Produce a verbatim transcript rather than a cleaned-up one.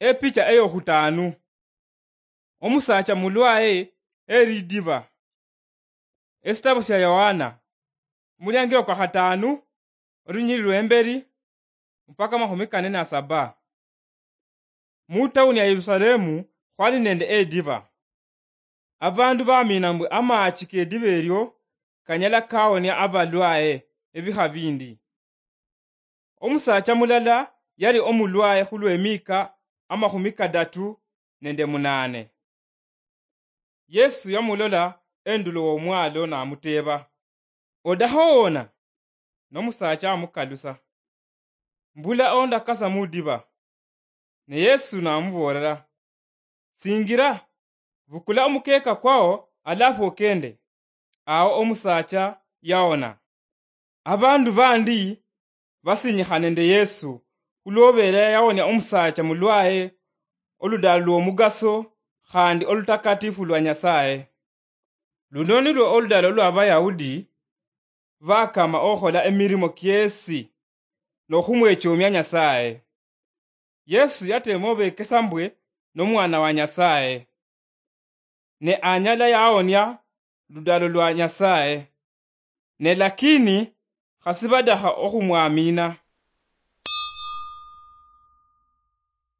Epicha eyokhutaanu. Omusaacha mulwaye elidiba. Esitabu sya Yohana, omuliangilo kwa khataanu, olunyili lwembeli, mpaka amakhumi kane na saba. Mu tawuni ya Yerusalemu khwali nende ediba. Abandu bamina mbwe amaachi kediba elyo kanyala kawonia abalwaye ebikha bindi. Omusaacha mulala yali omulwaye khulw'emiika amakhumi kadatu nende munaane. Yesu yamulola endulo w'omwalo namuteeba, "Odakha owona?" Nomusaacha amukalusa, "Mbula ondakasa mudiba." Ne Yesu namuboolera, "Singira, bukula omukeeka kwao alafu okende." Awo omusaacha yawona. Abandu bandi basinyikha nende Yesu khulwobeera yawonia omusaacha mulwaye oludalo lw'omugaso khandi olutakatifu lwa Nyasaye. Luno nilwo oludalo lw'Abayahudi bakama okhola emirimo kiesi nokhumwechomia Nyasaye. Yesu yateema obekesa mbwe n'omwana wa Nyasaye, ne anyala yawonia ludalo lwa Nyasaye. Ne lakini khasi badakha okhumwamina.